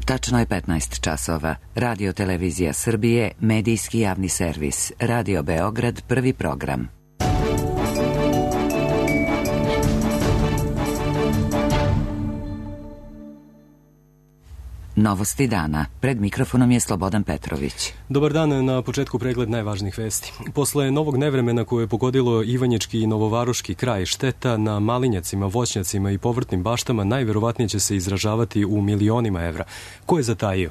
Tačno je 15 časova. Radio Televizija Srbije, medijski javni servis. Radio Beograd, prvi program. Novosti dana. Pred mikrofonom je Slobodan Petrović. Dobar dan, na početku pregled najvažnijih vesti. Posle novog nevremena koje je pogodilo Ivanjički i Novovaroški kraj, šteta na malinjacima, voćnjacima i povrtnim baštama najverovatnije će se izražavati u milionima evra. Ko je zatajio?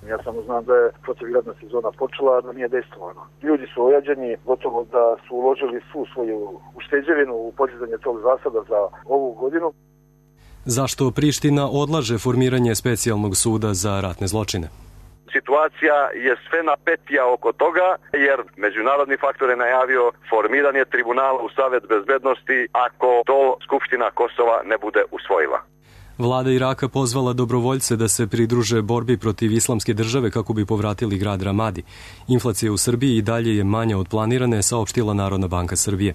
Ja samo znam da je protivgradna sezona počela, da nije dejstvovano. Ljudi su ojađeni, gotovo da su uložili svu svoju ušteđevinu u podizanje tog zasada za ovu godinu. Zašto Priština odlaže formiranje specijalnog suda za ratne zločine? Situacija je sve napetija oko toga, jer međunarodni faktor je najavio formiranje tribunala u Savet bezbednosti ako to Skupština Kosova ne bude usvojila. Vlada Iraka pozvala dobrovoljce da se pridruže borbi protiv islamske države kako bi povratili grad Ramadi. Inflacija u Srbiji i dalje je manja od planirane, saopštila Narodna banka Srbije.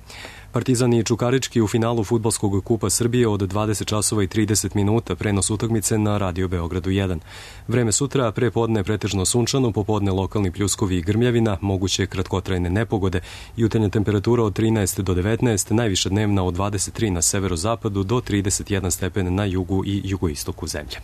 Partizan i Čukarički u finalu Fudbalskog kupa Srbije od 20 časova i 30 minuta, prenos utakmice na Radio Beogradu 1. Vreme sutra, pre podne pretežno sunčano, popodne lokalni pljuskovi i grmljavina, moguće kratkotrajne nepogode, jutarnja temperatura od 13 do 19, najviša dnevna od 23 na severozapadu do 31 stepen na jugu i jugoistoku zemlje.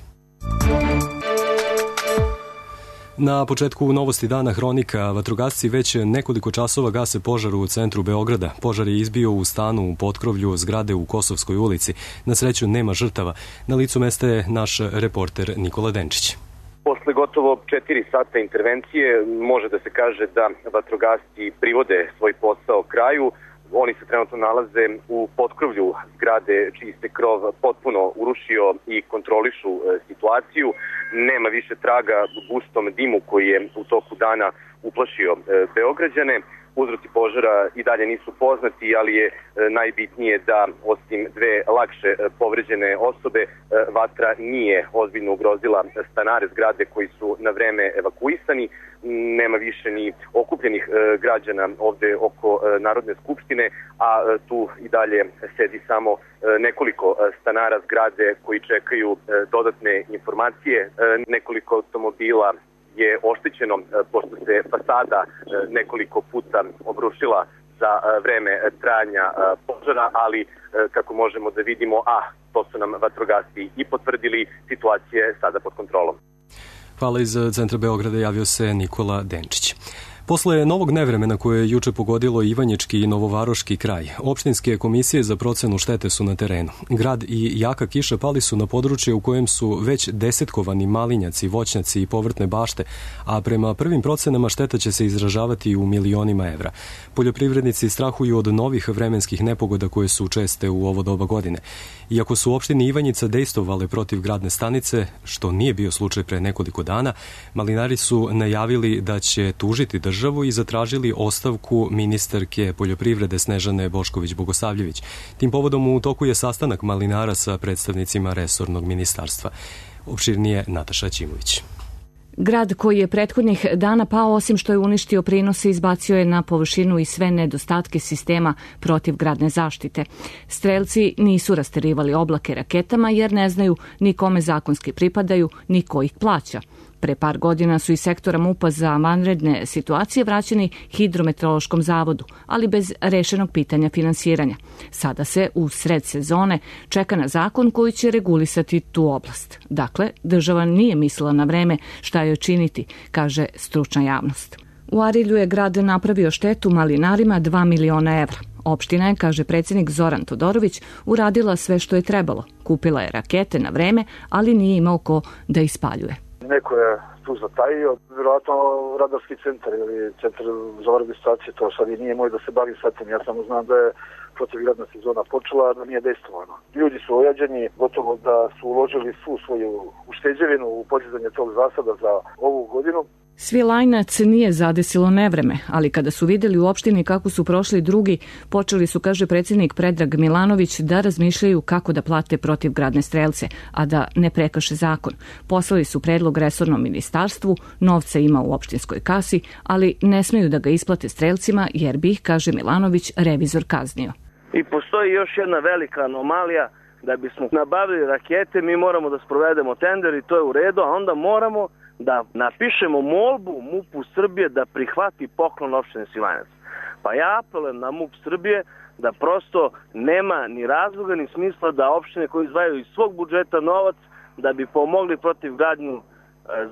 Na početku novosti dana hronika, vatrogasci već nekoliko časova gase požar u centru Beograda. Požar je izbio u stanu u potkrovlju zgrade u Kosovskoj ulici. Na sreću nema žrtava. Na licu mesta je naš reporter Nikola Denčić. Posle gotovo 4 sata intervencije može da se kaže da vatrogasci privode svoj posao kraju. Oni se trenutno nalaze u potkrovlju zgrade čiji se krov potpuno urušio i kontrolišu situaciju. Nema više traga u gustom dimu koji je u toku dana uplašio Beograđane. Uzroci požara i dalje nisu poznati, ali je najbitnije da osim dve lakše povređene osobe, vatra nije ozbiljno ugrozila stanare zgrade koji su na vreme evakuisani. Nema više ni okupljenih građana ovde oko Narodne skupštine, a tu i dalje sedi samo nekoliko stanara zgrade koji čekaju dodatne informacije. Nekoliko automobila je oštećeno pošto se fasada nekoliko puta obrušila za vreme trajanja požara, ali kako možemo da vidimo, to su nam vatrogasci i potvrdili, situacija je sada pod kontrolom. Hvala, iz centra Beograda javio se Nikola Denčić. Posle novog nevremena koje je juče pogodilo Ivanjički i Novovaroški kraj, opštinske komisije za procenu štete su na terenu. Grad i jaka kiša pali su na područje u kojem su već desetkovani malinjaci, voćnjaci i povrtne bašte, a prema prvim procenama šteta će se izražavati u milionima evra. Poljoprivrednici strahuju od novih vremenskih nepogoda koje su česte u ovo doba godine. Iako su opštini Ivanjica dejstvovale protiv gradne stanice, što nije bio slučaj pre nekoliko dana, malinari su najavili da će tužiti državu i zatražili ostavku ministarke poljoprivrede Snežane Bošković-Bogosavljević. Tim povodom u toku je sastanak malinara sa predstavnicima resornog ministarstva. Opširnije Nataša Ćimović. Grad koji je prethodnih dana pao, osim što je uništio prinose, izbacio je na površinu i sve nedostatke sistema protivgradne zaštite. Strelci nisu rasterivali oblake raketama jer ne znaju ni kome zakonski pripadaju, ni ko ih plaća. Pre par godina su iz sektora MUP-a za vanredne situacije vraćeni Hidrometeorološkom zavodu, ali bez rešenog pitanja finansiranja. Sada se u sred sezone čeka na zakon koji će regulisati tu oblast. Dakle, država nije mislila na vreme šta joj činiti, kaže stručna javnost. U Arilju je grad napravio štetu malinarima 2 miliona evra. Opština je, kaže predsjednik Zoran Todorović, uradila sve što je trebalo. Kupila je rakete na vreme, ali nije imao ko da ispaljuje. Neko je tu zatajio, vjerojatno radarski centar ili centar za registraciju, to sad i nije moj da se bavim sa tim. Ja samo znam da je protivgradna sezona počela, da nije dejstvovano. Ljudi su ojađeni, gotovo da su uložili svu svoju ušteđevinu u podizanje tog zasada za ovu godinu. Svilajnac nije zadesilo nevreme, ali kada su vidjeli u opštini kako su prošli drugi, počeli su, kaže predsjednik Predrag Milanović, da razmišljaju kako da plate protivgradne strelce, a da ne prekrše zakon. Poslali su predlog resornom ministarstvu, novca ima u opštinskoj kasi, ali ne smeju da ga isplate strelcima jer bi ih, kaže Milanović, revizor kaznio. I postoji još jedna velika anomalija, da bismo nabavili rakete mi moramo da sprovedemo tender i to je u redu, a onda moramo da napišemo molbu MUP-u Srbije da prihvati poklon opštine Svilajnac. Pa ja apelujem na MUP Srbije da prosto nema ni razloga ni smisla da opštine koje izdvajaju iz svog budžeta novac da bi pomogli protivgradnu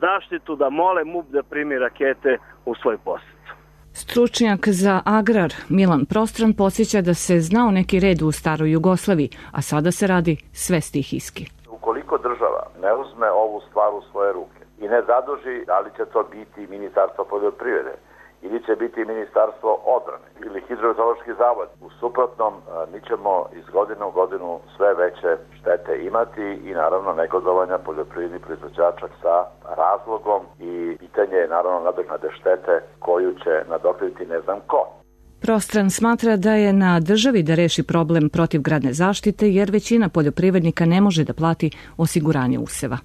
zaštitu, da mole MUP da primi rakete u svoj posjed. Stručnjak za agrar Milan Prostran podsjeća da se znao neki red u staroj Jugoslaviji, a sada se radi sve stihijski. Ukoliko država ne uzme ovu stvar u svoje ruke i ne zaduži, ali će to biti Ministarstvo poljoprivrede, ili će biti Ministarstvo odbrane ili Hidrometeorološki zavod. U suprotnom, mi ćemo iz godine u godinu sve veće štete imati i naravno negodovanja poljoprivrednih proizvođača sa razlogom i pitanje je naravno nadoknade štete koju će nadoknaditi ne znam ko. Prostran smatra da je na državi da reši problem protivgradne zaštite jer većina poljoprivrednika ne može da plati osiguranje useva.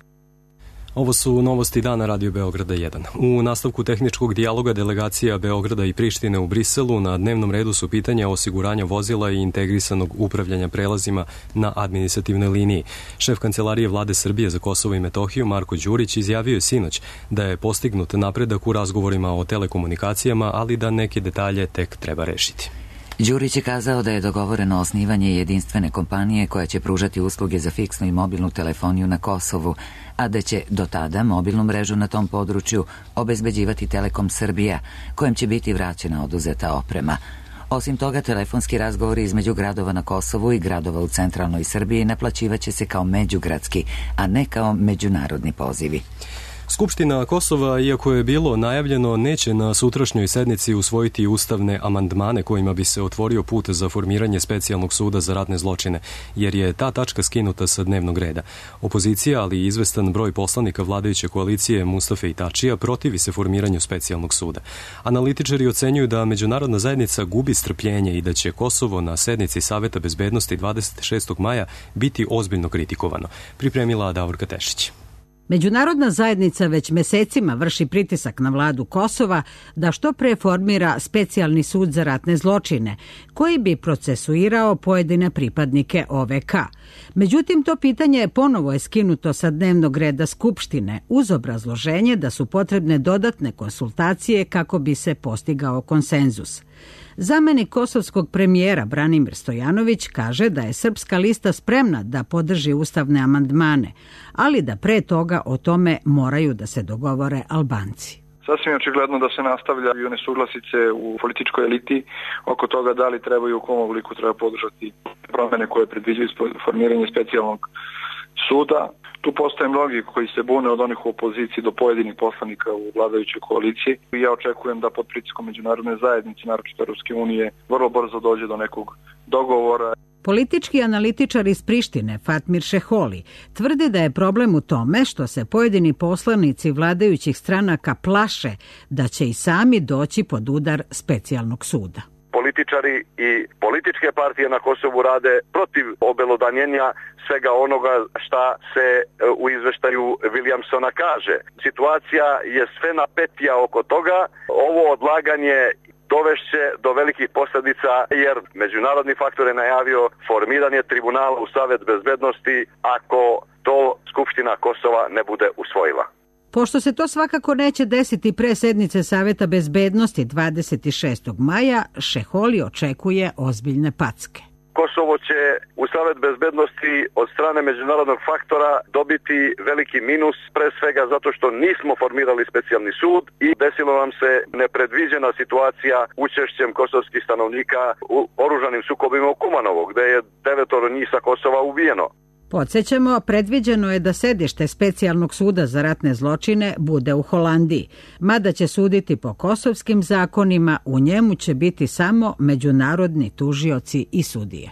Ovo su novosti dana Radio Beograda 1. U nastavku tehničkog dijaloga delegacija Beograda i Prištine u Briselu na dnevnom redu su pitanja osiguranja vozila i integrisanog upravljanja prelazima na administrativnoj liniji. Šef Kancelarije Vlade Srbije za Kosovo i Metohiju Marko Đurić izjavio je sinoć da je postignut napredak u razgovorima o telekomunikacijama, ali da neke detalje tek treba rešiti. Đurić je kazao da je dogovoreno osnivanje jedinstvene kompanije koja će pružati usluge za fiksnu i mobilnu telefoniju na Kosovu, a da će do tada mobilnu mrežu na tom području obezbeđivati Telekom Srbija, kojem će biti vraćena oduzeta oprema. Osim toga, telefonski razgovori između gradova na Kosovu i gradova u centralnoj Srbiji naplaćivaće se kao međugradski, a ne kao međunarodni pozivi. Skupština Kosova, iako je bilo najavljeno, neće na sutrašnjoj sednici usvojiti ustavne amandmane kojima bi se otvorio put za formiranje specijalnog suda za ratne zločine, jer je ta tačka skinuta sa dnevnog reda. Opozicija, ali i izvestan broj poslanika vladajuće koalicije Mustafe i Tačija protivi se formiranju specijalnog suda. Analitičari ocenjuju da međunarodna zajednica gubi strpljenje i da će Kosovo na sednici Saveta bezbednosti 26. maja biti ozbiljno kritikovano. Pripremila Davorka Tešić. Međunarodna zajednica već mesecima vrši pritisak na vladu Kosova da što pre formira specijalni sud za ratne zločine, koji bi procesuirao pojedine pripadnike OVK. Međutim, to pitanje ponovo je skinuto sa dnevnog reda Skupštine uz obrazloženje da su potrebne dodatne konsultacije kako bi se postigao konsenzus. Zamenik kosovskog premijera Branimir Stojanović kaže da je Srpska lista spremna da podrži ustavne amandmane, ali da pre toga o tome moraju da se dogovore Albanci. Sasvim je očigledno da se nastavljaju nesuglasice u političkoj eliti oko toga da li treba i u kom obliku treba podržati promene koje predviđaju formiranje specijalnog suda. Tu postoje mnogi koji se bune od onih u opoziciji do pojedinih poslanika u vladajućoj koaliciji. Ja očekujem da pod pritiskom međunarodne zajednice, naročito Europske unije, vrlo brzo dođe do nekog dogovora. Politički analitičar iz Prištine, Fatmir Šeholi, tvrdi da je problem u tome što se pojedini poslanici vladajućih stranaka plaše da će i sami doći pod udar specijalnog suda. Političari i političke partije na Kosovu rade protiv obelodanjenja svega onoga šta se u izveštaju Williamsona kaže. Situacija je sve napetija oko toga. Ovo odlaganje dovešće do velikih posljedica jer međunarodni faktor je najavio formiranje tribunala u Savet bezbednosti ako to Skupština Kosova ne bude usvojila. Pošto se to svakako neće desiti pre sednice Saveta bezbednosti 26. maja, Šeholi očekuje ozbiljne packe. Kosovo će u Savet bezbednosti od strane međunarodnog faktora dobiti veliki minus, pre svega zato što nismo formirali specijalni sud i desilo nam se nepredviđena situacija učešćem kosovskih stanovnika u oružanim sukobima u Kumanovu, gde je 9 njih sa Kosova ubijeno. Podsjećamo, predviđeno je da sedište specijalnog suda za ratne zločine bude u Holandiji, mada će suditi po kosovskim zakonima, u njemu će biti samo međunarodni tužioci i sudije.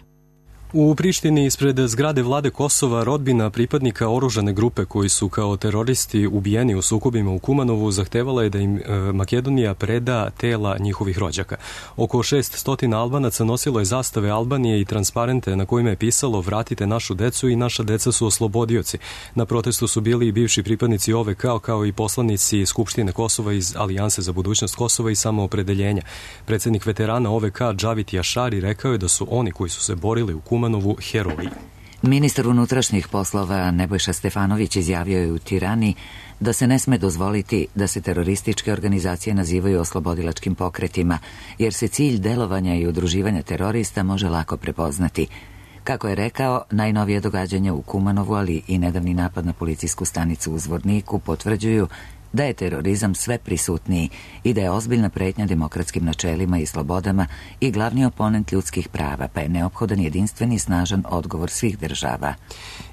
U Prištini ispred zgrade vlade Kosova rodbina pripadnika oružane grupe koji su kao teroristi ubijeni u sukobima u Kumanovu zahtevala je da im Makedonija preda tela njihovih rođaka. Oko 600 Albanaca nosilo je zastave Albanije i transparente na kojima je pisalo "Vratite našu decu" i "Naša deca su oslobodioci". Na protestu su bili i bivši pripadnici OVK kao i poslanici Skupštine Kosova iz Alijanse za budućnost Kosova i samoopredeljenja. Predsjednik veterana OVK Džavit Jašari rekao je da su oni koji su se borili u Kumanovu heroji. Ministar unutrašnjih poslova Nebojša Stefanović izjavio je u Tirani da se ne sme dozvoliti da se terorističke organizacije nazivaju oslobodilačkim pokretima, jer se cilj delovanja i udruživanja terorista može lako prepoznati. Kako je rekao, najnovije događanja u Kumanovu, ali i nedavni napad na policijsku stanicu u Zvorniku potvrđuju da je terorizam sve prisutniji i da je ozbiljna pretnja demokratskim načelima i slobodama i glavni oponent ljudskih prava, pa je neophodan jedinstveni i snažan odgovor svih država.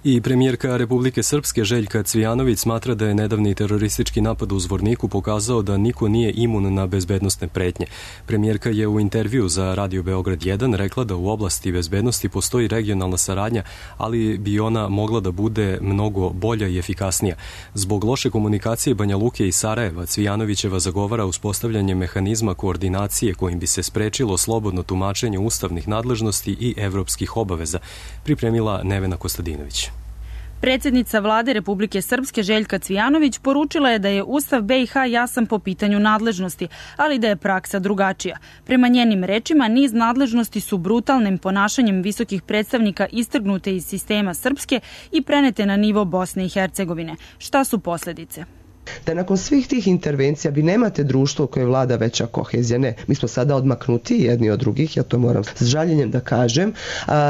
I premijerka Republike Srpske Željka Cvijanović smatra da je nedavni teroristički napad u Zvorniku pokazao da niko nije imun na bezbednosne pretnje. Premijerka je u intervju za Radio Beograd 1 rekla da u oblasti bezbednosti postoji regionalna saradnja, ali bi ona mogla da bude mnogo bolja i efikasnija. Zbog loše komunikacije Banja Luke i Sarajeva, Cvijanovićeva zagovara uspostavljanje mehanizma koordinacije kojim bi se sprečilo slobodno tumačenje ustavnih nadležnosti i evropskih obaveza, pripremila Nevena Kostadinović. Predsjednica vlade Republike Srpske Željka Cvijanović poručila je da je Ustav BiH jasan po pitanju nadležnosti, ali da je praksa drugačija. Prema njenim rečima, niz nadležnosti su brutalnim ponašanjem visokih predstavnika istrgnute iz sistema Srpske i prenete na nivo Bosne i Hercegovine. Šta su posljedice? Da nakon svih tih intervencija vi nemate društvo u kojoj vlada veća kohezija. Ne, mi smo sada odmaknuti jedni od drugih, ja to moram s žaljenjem da kažem.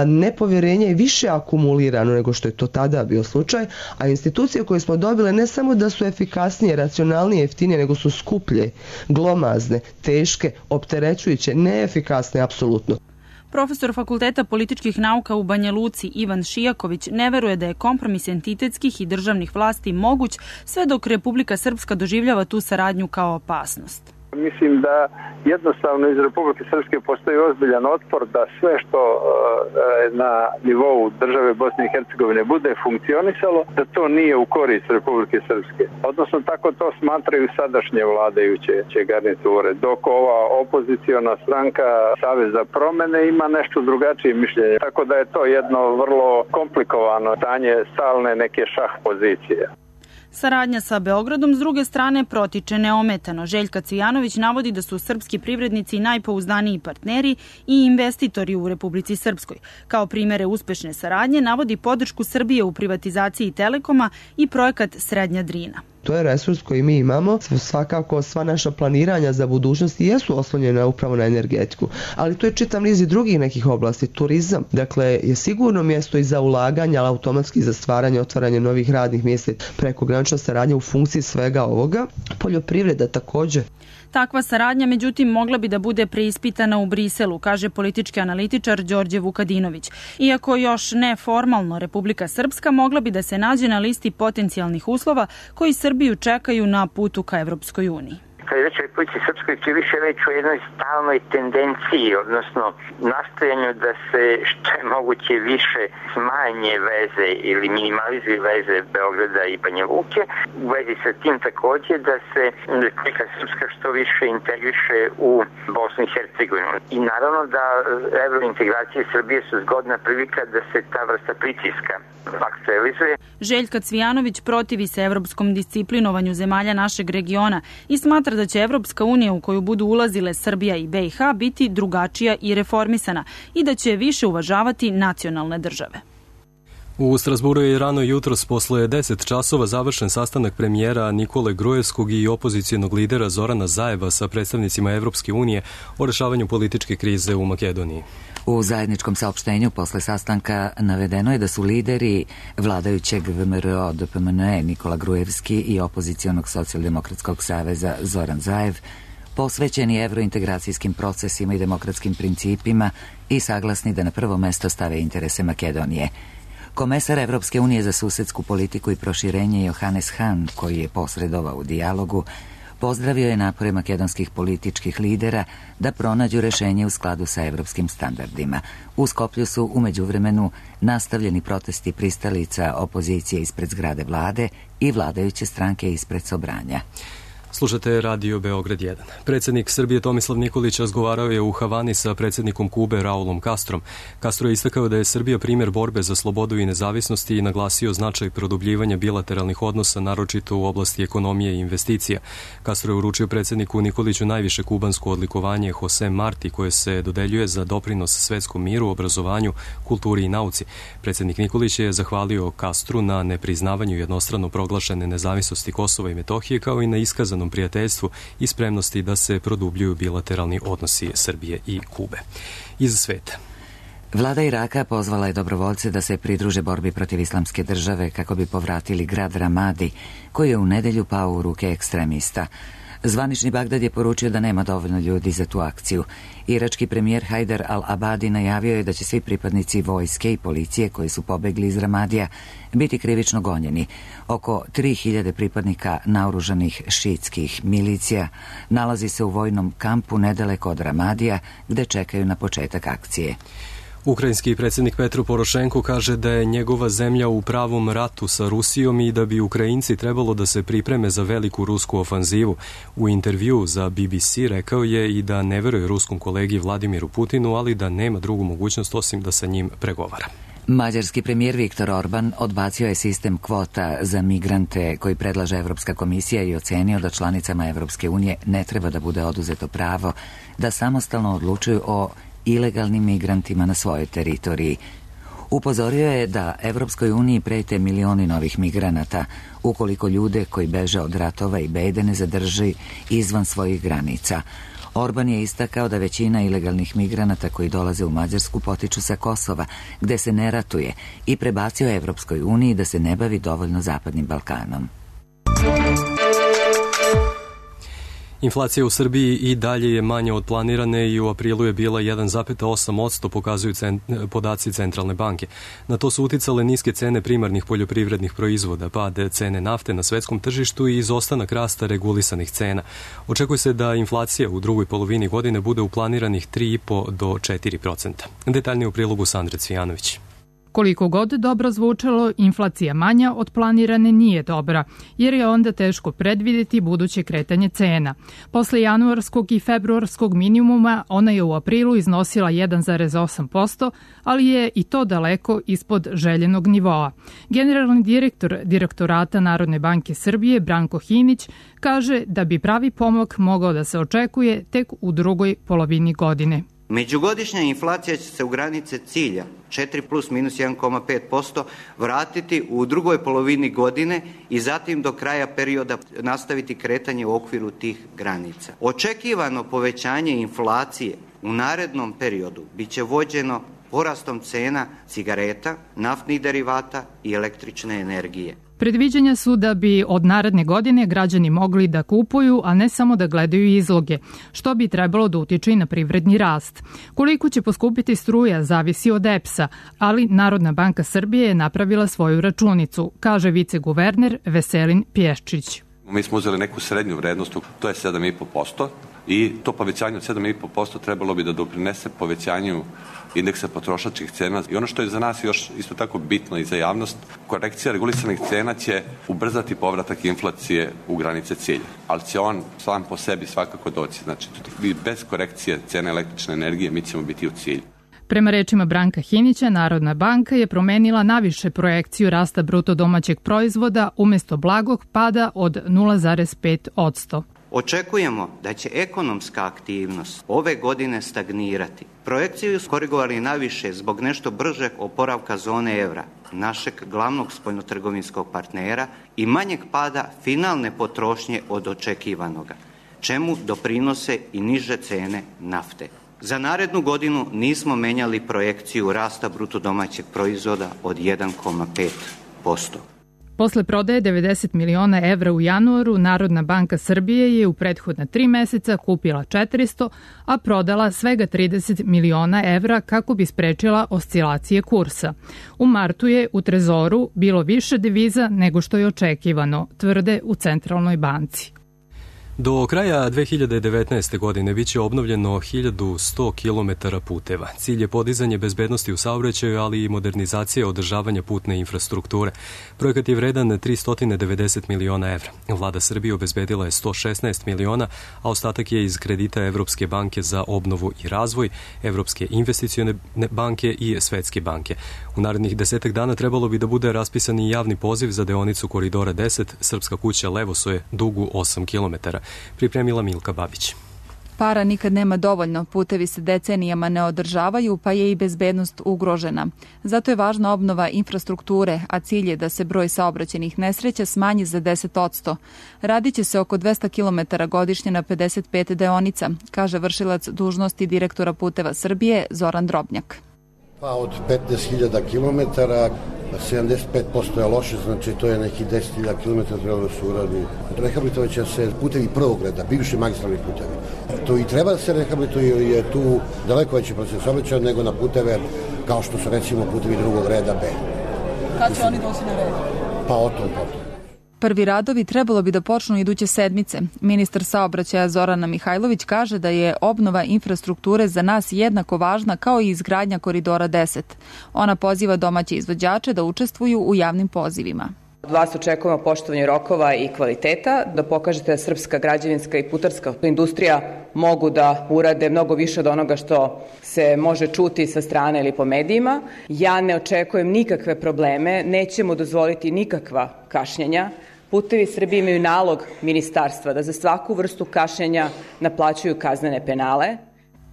Nepovjerenje je više akumulirano nego što je to tada bio slučaj, a institucije koje smo dobile ne samo da su efikasnije, racionalnije, jeftinije, nego su skuplje, glomazne, teške, opterećujuće, neefikasne, apsolutno. Profesor Fakulteta političkih nauka u Banja Luci Ivan Šijaković ne veruje da je kompromis entitetskih i državnih vlasti moguć sve dok Republika Srpska doživljava tu saradnju kao opasnost. Mislim da jednostavno iz Republike Srpske postoji ozbiljan otpor da sve što na nivou države Bosne i Hercegovine bude funkcionisalo, da to nije u korist Republike Srpske. Odnosno tako to smatraju sadašnje vladajuće garniture, dok ova opoziciona stranka Savez za promene ima nešto drugačije mišljenje. Tako da je to jedno vrlo komplikovano stanje stalne neke šah pozicije. Saradnja sa Beogradom s druge strane protiče neometano. Željka Cvijanović navodi da su srpski privrednici najpouzdaniji partneri i investitori u Republici Srpskoj. Kao primere uspešne saradnje navodi podršku Srbije u privatizaciji Telekoma i projekat Srednja Drina. To je resurs koji mi imamo, svakako sva naša planiranja za budućnost jesu oslonjena upravo na energetiku, ali to je čitav niz i drugih nekih oblasti, turizam, dakle je sigurno mjesto i za ulaganja, ali automatski za stvaranje, otvaranje novih radnih mjesta, prekogranična saradnja u funkciji svega ovoga, poljoprivreda također. Takva saradnja, međutim, mogla bi da bude preispitana u Briselu, kaže politički analitičar Đorđe Vukadinović. Iako još ne formalno, Republika Srpska mogla bi da se nađe na listi potencijalnih uslova koji Srbiju čekaju na putu ka Evropskoj uniji. Kad je reč o Republici Srpskoj, tu je više reč o jednoj stalnoj tendenciji, odnosno nastojanju da se što je moguće više smanje veze ili minimalizuju veze Beograda i Banja Luke. U vezi sa tim također da se Republika Srpska što više integriše u Bosnu i Hercegovinu. I naravno da evrointegracije Srbije su zgodna prilika da se ta vrsta pritiska aktualizuje. Željka Cvijanović protivi se evropskom disciplinovanju zemalja našeg regiona i smatra da će Evropska unija u koju budu ulazile Srbija i BiH biti drugačija i reformisana i da će više uvažavati nacionalne države. U Strasburu je rano jutros posle 10 časova završen sastanak premijera Nikole Grujevskog i opozicijonog lidera Zorana Zajeva sa predstavnicima Evropske unije o rešavanju političke krize u Makedoniji. U zajedničkom saopštenju posle sastanka navedeno je da su lideri vladajućeg VMRO DPMNE Nikola Grujevski i opozicijonog socijaldemokratskog saveza Zoran Zajev posvećeni evrointegracijskim procesima i demokratskim principima i saglasni da na prvo mesto stave interese Makedonije. Komesar Evropske unije za susedsku politiku i proširenje Johannes Hahn, koji je posredovao u dijalogu, pozdravio je napore makedonskih političkih lidera da pronađu rešenje u skladu sa evropskim standardima. U Skoplju su u međuvremenu nastavljeni protesti pristalica opozicije ispred zgrade vlade i vladajuće stranke ispred Sobranja. Slušate Radio Beograd 1. Predsjednik Srbije Tomislav Nikolić razgovarao je u Havani sa predsjednikom Kube Raulom Castrom. Castro je istakao da je Srbija primjer borbe za slobodu i nezavisnosti i naglasio značaj produbljivanja bilateralnih odnosa, naročito u oblasti ekonomije i investicija. Castro je uručio predsjedniku Nikoliću najviše kubansko odlikovanje Jose Marti, koje se dodeljuje za doprinos svetskom miru, obrazovanju, kulturi i nauci. Predsjednik Nikolić je zahvalio Castru na nepriznavanju jednostrano proglašene nezavisnosti Kosova i Metohije, kao i na iskazanom prijateljstvu i spremnosti da se produbljuju bilateralni odnosi Srbije i Kube. Iz sveta. Vlada Iraka pozvala je dobrovoljce da se pridruže borbi protiv islamske države kako bi povratili grad Ramadi, koji je u nedelju pao u ruke ekstremista. Zvanični Bagdad je poručio da nema dovoljno ljudi za tu akciju. Irački premijer Hajdar al-Abadi najavio je da će svi pripadnici vojske i policije koji su pobegli iz Ramadija biti krivično gonjeni. Oko 3000 pripadnika naoružanih šiitskih milicija nalazi se u vojnom kampu nedaleko od Ramadija, gde čekaju na početak akcije. Ukrajinski predsjednik Petro Porošenko kaže da je njegova zemlja u pravom ratu sa Rusijom i da bi Ukrajinci trebalo da se pripreme za veliku rusku ofanzivu. U intervju za BBC rekao je i da ne veruje ruskom kolegi Vladimiru Putinu, ali da nema drugu mogućnost osim da sa njim pregovara. Mađarski premijer Viktor Orban odbacio je sistem kvota za migrante koji predlaže Evropska komisija i ocenio da članicama Evropske unije ne treba da bude oduzeto pravo da samostalno odlučuju o ilegalnim migrantima na svojoj teritoriji. Upozorio je da Evropskoj uniji prete milioni novih migranata ukoliko ljude koji beže od ratova i bede ne zadrži izvan svojih granica. Orban je istakao da većina ilegalnih migranata koji dolaze u Mađarsku potiču sa Kosova, gde se ne ratuje, i prebacio Evropskoj uniji da se ne bavi dovoljno Zapadnim Balkanom. Inflacija u Srbiji i dalje je manja od planirane i u aprilu je bila 1,8%, pokazuju podaci Centralne banke. Na to su uticale niske cene primarnih poljoprivrednih proizvoda, pad cene nafte na svetskom tržištu i izostanak rasta regulisanih cena. Očekuje se da inflacija u drugoj polovini godine bude u planiranih 3,5 do 4%. Detaljnije u prilogu Sandre Cvijanović. Koliko god dobro zvučalo, inflacija manja od planirane nije dobra, jer je onda teško predvidjeti buduće kretanje cena. Posle januarskog i februarskog minimuma ona je u aprilu iznosila 1,8%, ali je i to daleko ispod željenog nivoa. Generalni direktor Direktorata Narodne banke Srbije, Branko Hinić, kaže da bi pravi pomak mogao da se očekuje tek u drugoj polovini godine. Međugodišnja inflacija će se u granice cilja 4 plus minus 1,5% vratiti u drugoj polovini godine i zatim do kraja perioda nastaviti kretanje u okviru tih granica. Očekivano povećanje inflacije u narednom periodu biće vođeno porastom cena cigareta, naftnih derivata i električne energije. Predviđanja su da bi od naredne godine građani mogli da kupuju, a ne samo da gledaju izloge, što bi trebalo da utiče i na privredni rast. Koliko će poskupiti struja zavisi od EPS-a, ali Narodna banka Srbije je napravila svoju računicu, kaže viceguverner Veselin Pješčić. Mi smo uzeli neku srednju vrednost, to je 7,5% i to povećanje od 7,5% trebalo bi da doprinese povećanju indeksa potrošačkih cena. I ono što je za nas još isto tako bitno i za javnost, korekcija regulisanih cena će ubrzati povratak inflacije u granice cilja, ali će on sam po sebi svakako doći. Znači, bez korekcije cene električne energije mi ćemo biti u cilju. Prema rečima Branka Hinića, Narodna banka je promenila naviše projekciju rasta bruto domaćeg proizvoda umjesto blagog pada od 0,5%. Očekujemo da će ekonomska aktivnost ove godine stagnirati. Projekciju su korigovali naviše zbog nešto bržeg oporavka zone evra, našeg glavnog spoljnotrgovinskog partnera, i manjeg pada finalne potrošnje od očekivanoga, čemu doprinose i niže cene nafte. Za narednu nismo menjali projekciju rasta bruto domaćeg proizvoda od 1,5%. Posle prodaje 90 miliona evra u januaru, Narodna banka Srbije je u prethodna 3 meseca kupila 400, a prodala svega 30 miliona evra kako bi sprečila oscilacije kursa. U martu je u trezoru bilo više deviza nego što je očekivano, tvrde u Centralnoj banci. Do kraja 2019. godine biće obnovljeno 1100 km puteva. Cilj je podizanje bezbednosti u saobraćaju, ali i modernizacija održavanja putne infrastrukture. Projekat je vredan 390 miliona evra. Vlada Srbije obezbedila je 116 miliona, a ostatak je iz kredita Evropske banke za obnovu i razvoj, Evropske investicione banke i Svetske banke. U narednih 10 dana trebalo bi da bude raspisan i javni poziv za deonicu Koridora 10, Srpska kuća Levosoje, dugu 8 km. Pripremila Milka Babić. Para nikad nema dovoljno, putevi se decenijama ne održavaju, pa je i bezbednost ugrožena. Zato je važna obnova infrastrukture, a cilj je da se broj saobraćajnih nesreća smanji za 10%. Radiće se oko 200 km godišnje na 55 deonica, kaže vršilac dužnosti direktora Puteva Srbije Zoran Drobnjak. Pa od 15.000 km, 75% je loše, znači to je neki 10.000 km trebalo da se uradi. Rehabilitovaće se putevi prvog reda, bivši magistralni putevi. To i treba da se rehabilituje, je tu daleko veći proces saobraćaja nego na puteve kao što su recimo putevi drugog reda B. Kad će oni doći na red? Pa o tom potom. Prvi radovi trebalo bi da počnu iduće sedmice. Ministar saobraćaja Zorana Mihajlović kaže da je obnova infrastrukture za nas jednako važna kao i izgradnja Koridora 10. Ona poziva domaće izvođače da učestvuju u javnim pozivima. Od vas očekujemo poštovanje rokova i kvaliteta, da pokažete da srpska građevinska i putarska industrija mogu da urade mnogo više od onoga što se može čuti sa strane ili po medijima. Ja ne očekujem nikakve probleme, nećemo dozvoliti nikakva kašnjenja. Putevi Srbije imaju nalog ministarstva da za svaku vrstu kašnjenja naplaćuju kaznene penale.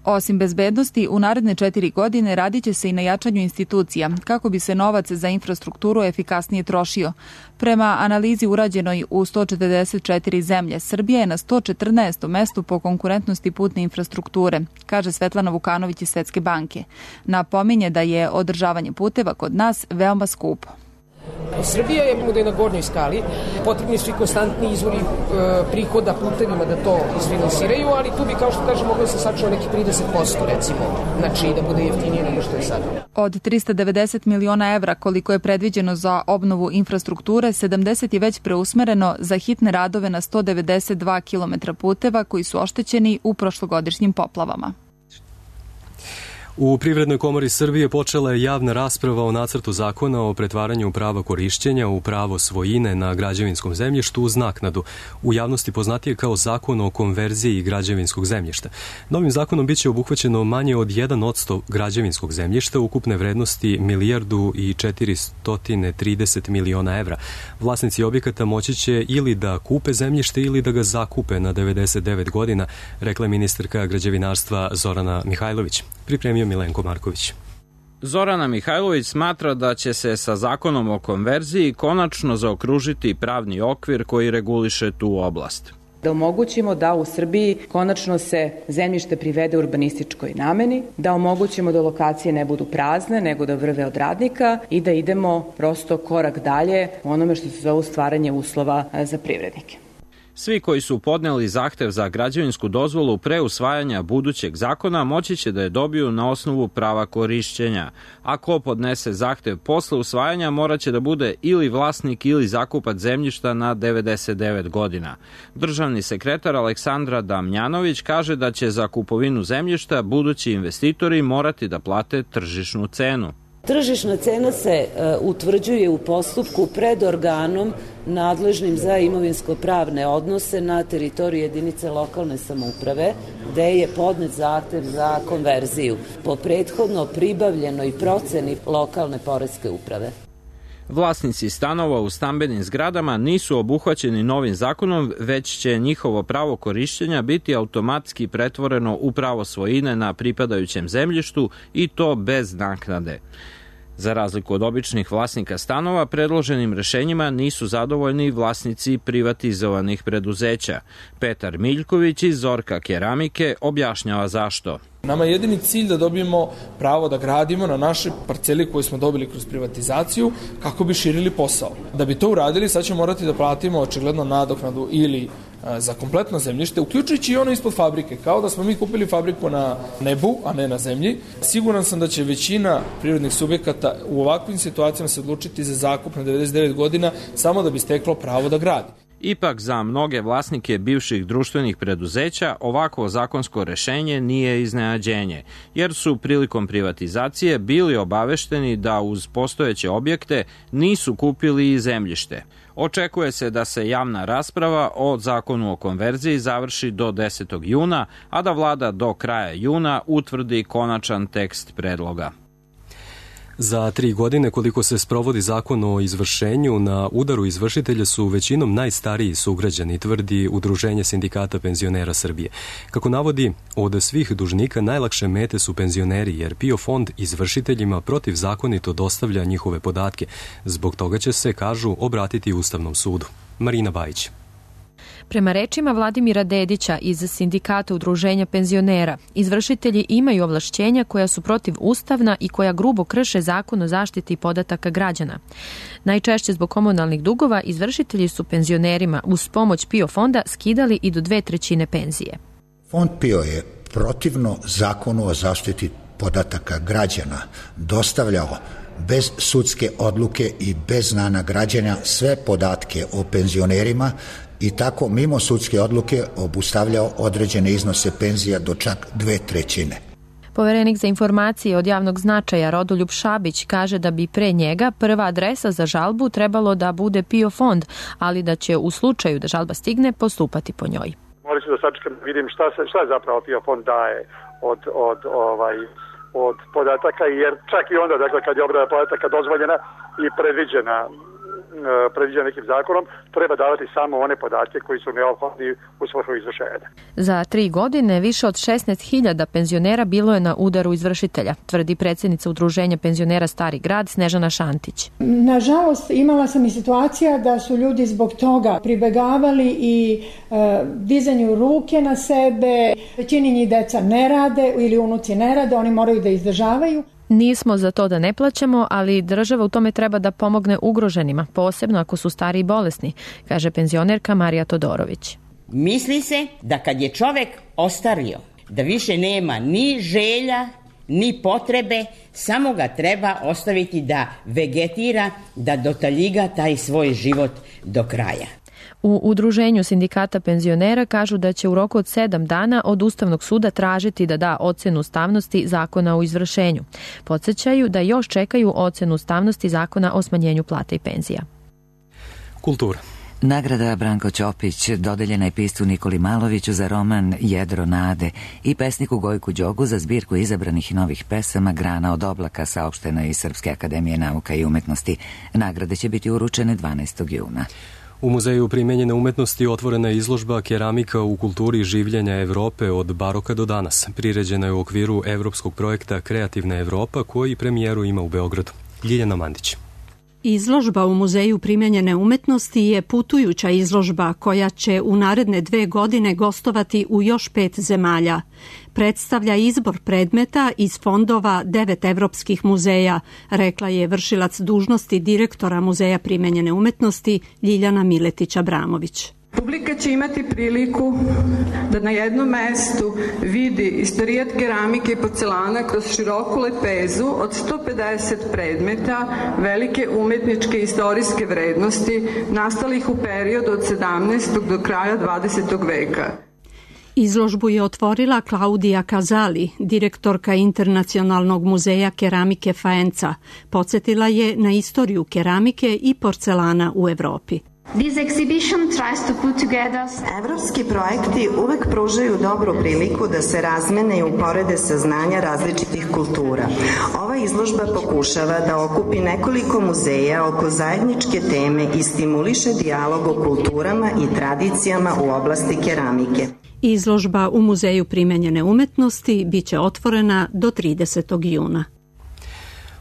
Osim bezbednosti, u naredne 4 godine radit će se i na jačanju institucija, kako bi se novac za infrastrukturu efikasnije trošio. Prema analizi urađenoj u 144 zemlje, Srbija je na 114. mestu po konkurentnosti putne infrastrukture, kaže Svetlana Vukanović iz Svetske banke. Napominje da je održavanje puteva kod nas veoma skupo. Srbija je na gornjoj skali, potrebni su i konstantni izvori prihoda putevima da to isfinansiraju, ali tu bi, kao što kažem, moglo se sačuva neki 30%, recimo, znači da bude jeftinije nego što je sad. Od 390 miliona evra koliko je predviđeno za obnovu infrastrukture, 70 je već preusmereno za hitne radove na 192 km puteva koji su oštećeni u prošlogodišnjim poplavama. U Privrednoj komori Srbije počela je javna rasprava o nacrtu zakona o pretvaranju prava korišćenja u pravo svojine na građevinskom zemljištu uz naknadu. U javnosti poznatije kao zakon o konverziji građevinskog zemljišta. Novim zakonom biće obuhvaćeno manje od 1% građevinskog zemljišta ukupne vrednosti 1.430 miliona evra. Vlasnici objekata moći će ili da kupe zemljište ili da ga zakupe na 99 godina, rekla je ministarka građevinarstva Zorana Mihajlović. Pripremio Milenko Marković. Zorana Mihajlović smatra da će se sa zakonom o konverziji konačno zaokružiti pravni okvir koji reguliše tu oblast. Da omogućimo da u Srbiji konačno se zemljište privede urbanističkoj nameni, da omogućimo da lokacije ne budu prazne, nego da vrve od radnika i da idemo prosto korak dalje u onome što se zove stvaranje uslova za privrednike. Svi koji su podneli zahtev za građevinsku dozvolu pre usvajanja budućeg zakona moći će da je dobiju na osnovu prava korišćenja. A ko podnese zahtev posle usvajanja morat će da bude ili vlasnik ili zakupac zemljišta na 99 godina. Državni sekretar Aleksandra Damjanović kaže da će za kupovinu zemljišta budući investitori morati da plate tržišnu cenu. Tržišna cena se utvrđuje u postupku pred organom nadležnim za imovinsko-pravne odnose na teritoriji jedinice lokalne samouprave, gde je podnet zahtev za konverziju po prethodno pribavljenoj proceni lokalne poreske uprave. Vlasnici stanova u stambenim zgradama nisu obuhvaćeni novim zakonom, već će njihovo pravo korišćenja biti automatski pretvoreno u pravo svojine na pripadajućem zemljištu i to bez naknade. Za razliku od običnih vlasnika stanova, predloženim rešenjima nisu zadovoljni vlasnici privatizovanih preduzeća. Petar Miljković iz Zorka Keramike objašnjava zašto. Nama je jedini cilj da dobijemo pravo da gradimo na našoj parceli koju smo dobili kroz privatizaciju kako bi širili posao. Da bi to uradili, sad ćemo morati da platimo očigledno nadoknadu ili za kompletno zemljište, uključujući i ono ispod fabrike, kao da smo mi kupili fabriku na nebu, a ne na zemlji. Siguran sam da će većina privrednih subjekata u ovakvim situacijama se odlučiti za zakup na 99 godina samo da bi steklo pravo da gradi. Ipak za mnoge vlasnike bivših društvenih preduzeća ovakvo zakonsko rešenje nije iznenađenje, jer su prilikom privatizacije bili obavešteni da uz postojeće objekte nisu kupili i zemljište. Očekuje se da se javna rasprava o zakonu o konverziji završi do 10. juna, a da vlada do kraja juna utvrdi konačan tekst predloga. Za 3 godine koliko se sprovodi zakon o izvršenju, na udaru izvršitelja su većinom najstariji sugrađani, tvrdi Udruženje sindikata penzionera Srbije. Kako navodi, od svih dužnika najlakše mete su penzioneri, jer PIO fond izvršiteljima protivzakonito dostavlja njihove podatke. Zbog toga će se, kažu, obratiti Ustavnom sudu. Marina Bajić. Prema rečima Vladimira Dedića iz sindikata Udruženja penzionera, izvršitelji imaju ovlašćenja koja su protivustavna i koja grubo krše zakon o zaštiti podataka građana. Najčešće zbog komunalnih dugova izvršitelji su penzionerima uz pomoć PIO fonda skidali i do 2/3 penzije. Fond PIO je protivno zakonu o zaštiti podataka građana dostavljao bez sudske odluke i bez znanja građana sve podatke o penzionerima i tako mimo sudske odluke obustavljao određene iznose penzija do čak 2/3. Poverenik za informacije od javnog značaja Rodoljub Šabić kaže da bi pre njega prva adresa za žalbu trebalo da bude PIO fond, ali da će u slučaju da žalba stigne postupati po njoj. Moram se da sačekam, vidim šta je zapravo PIO fond daje od podataka, jer čak i onda, dakle, kad je obrada podataka dozvoljena i predviđena nekim zakonom, treba davati samo one podatke koji su neophodni u svrhu izvršenja. Za 3 godine više od 16.000 penzionera bilo je na udaru izvršitelja, tvrdi predsjednica Udruženja penzionera Stari grad Snežana Šantić. Nažalost, imala sam i situacija da su ljudi zbog toga pribegavali i dizanju ruke na sebe. Većini njih deca ne rade ili unuci ne rade, oni moraju da izdržavaju. Nismo za to da ne plaćamo, ali država u tome treba da pomogne ugroženima, posebno ako su stari i bolesni, kaže penzionerka Marija Todorović. Misli se da kad je čovek ostario, da više nema ni želja, ni potrebe, samo ga treba ostaviti da vegetira, da dotaljiga taj svoj život do kraja. U Udruženju sindikata penzionera kažu da će u roku od 7 dana od Ustavnog suda tražiti da da ocenu ustavnosti zakona o izvršenju. Podsećaju da još čekaju ocenu ustavnosti zakona o smanjenju plata i penzija. Kultura. Nagrada Branko Ćopić dodeljena je piscu Nikoli Maloviću za roman Jedro nade i pesniku Gojku Đogu za zbirku izabranih novih pesama Grana od oblaka, saopštena iz Srpske akademije nauka i umetnosti. Nagrade će biti uručene 12. juna. U Muzeju primenjene umetnosti otvorena je izložba Keramika u kulturi življenja Evrope od baroka do danas. Priređena je u okviru evropskog projekta Kreativna Evropa koji premijeru ima u Beogradu. Ljiljana Mandić. Izložba u Muzeju primenjene umetnosti je putujuća izložba koja će u naredne 2 godine gostovati u još 5 zemalja. Predstavlja izbor predmeta iz fondova 9 evropskih muzeja, rekla je vršilac dužnosti direktora Muzeja primenjene umetnosti Ljiljana Miletić-Abramović. Publika će imati priliku da na jednom mestu vidi istorijat keramike i porcelana kroz široku lepezu od 150 predmeta velike umetničke i istorijske vrednosti nastalih u periodu od 17. do kraja 20. veka. Izložbu je otvorila Klaudija Kazali, direktorka Internacionalnog muzeja keramike Faenza. Podsjetila je na istoriju keramike i porcelana u Evropi. Evropski projekti uvek pružaju dobru priliku da se razmene i uporede saznanja različitih kultura. Ova izložba pokušava da okupi nekoliko muzeja oko zajedničke teme i stimuliše dijalog o kulturama i tradicijama u oblasti keramike. Izložba u Muzeju primenjene umetnosti biće otvorena do 30. juna.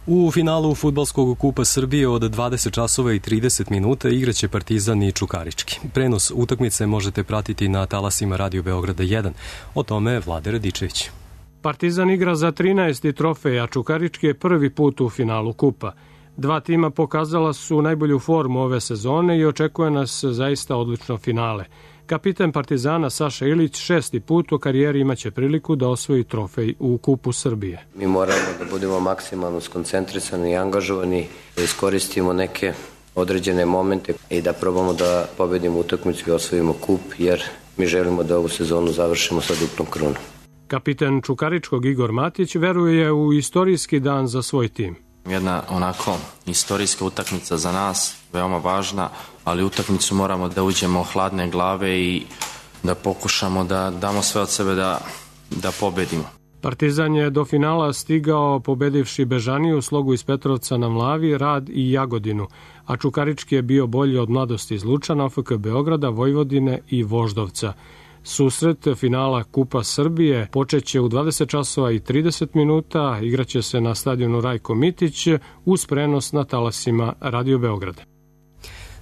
U finalu Fudbalskog kupa Srbije od 20 časova i 30 minuta igraće Partizan i Čukarički. Prenos utakmice možete pratiti na talasima Radio Beograda 1. O tome Vlade Radičević. Partizan igra za 13. trofej, a Čukarički je prvi put u finalu kupa. 2 tima pokazala su najbolju formu ove sezone i očekuje nas zaista odlično finale. Kapitan Partizana Saša Ilić 6. put u karijeri imaće priliku da osvoji trofej u Kupu Srbije. Mi moramo da budemo maksimalno skoncentrisani i angažovani, da iskoristimo neke određene momente i da probamo da pobedimo utakmicu i osvojimo kup, jer mi želimo da ovu sezonu završimo sa duplom krunom. Kapiten Čukaričkog Igor Matić veruje u istorijski dan za svoj tim. Jedna onako istorijska utakmica za nas, veoma važna, ali utakmicu moramo da uđemo hladne glave i da pokušamo da damo sve od sebe da pobedimo. Partizan je do finala stigao pobedivši Bežaniju, Slogu iz Petrovca na Mlavi, Rad i Jagodinu, a Čukarički je bio bolji od Mladosti iz Lučana, OFK Beograda, Vojvodine i Voždovca. Susret finala Kupa Srbije počeće u 20 časova i 30 minuta, igraće se na stadionu Rajko Mitić uz prenos na talasima Radio Beograda.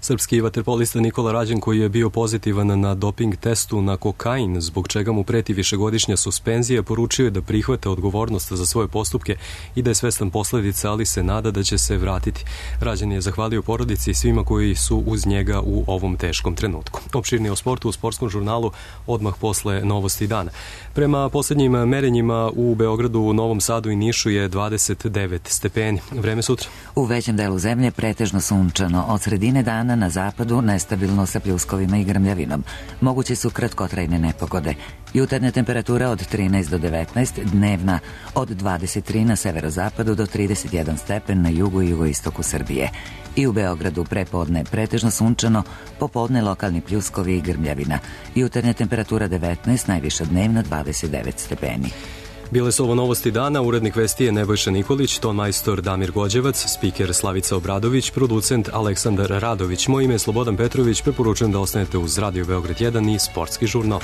Srpski vaterpolista Nikola Rađen, koji je bio pozitivan na doping testu na kokain, zbog čega mu preti višegodišnja suspenzija, poručio je da prihvata odgovornost za svoje postupke i da je svestan posledica, ali se nada da će se vratiti. Rađen je zahvalio porodici i svima koji su uz njega u ovom teškom trenutku. Opširnije o sportu u sportskom žurnalu odmah posle novosti dana. Prema poslednjim merenjima u Beogradu, Novom Sadu i Nišu je 29 stepeni. Vreme sutra. U većem delu zemlje pretežno sunčano. Od sredine dana na zapadu nestabilno sa pljuskovima i grmljavinom. Moguće su kratkotrajne nepogode. Jutarnja temperatura od 13 do 19, dnevna od 23 na severozapadu do 31 stepen na jugu i jugoistoku Srbije. I u Beogradu prepodne pretežno sunčano, popodne lokalni pljuskovi i grmljavina. Jutarnja temperatura 19, najviša dnevna 29 stepeni. Bile su ovo novosti dana, urednik vesti je Nebojša Nikolić, ton majstor Damir Gođevac, spiker Slavica Obradović, producent Aleksandar Radović. Moje ime je Slobodan Petrović, preporučujem da ostanete uz Radio Beograd 1 i Sportski žurnal.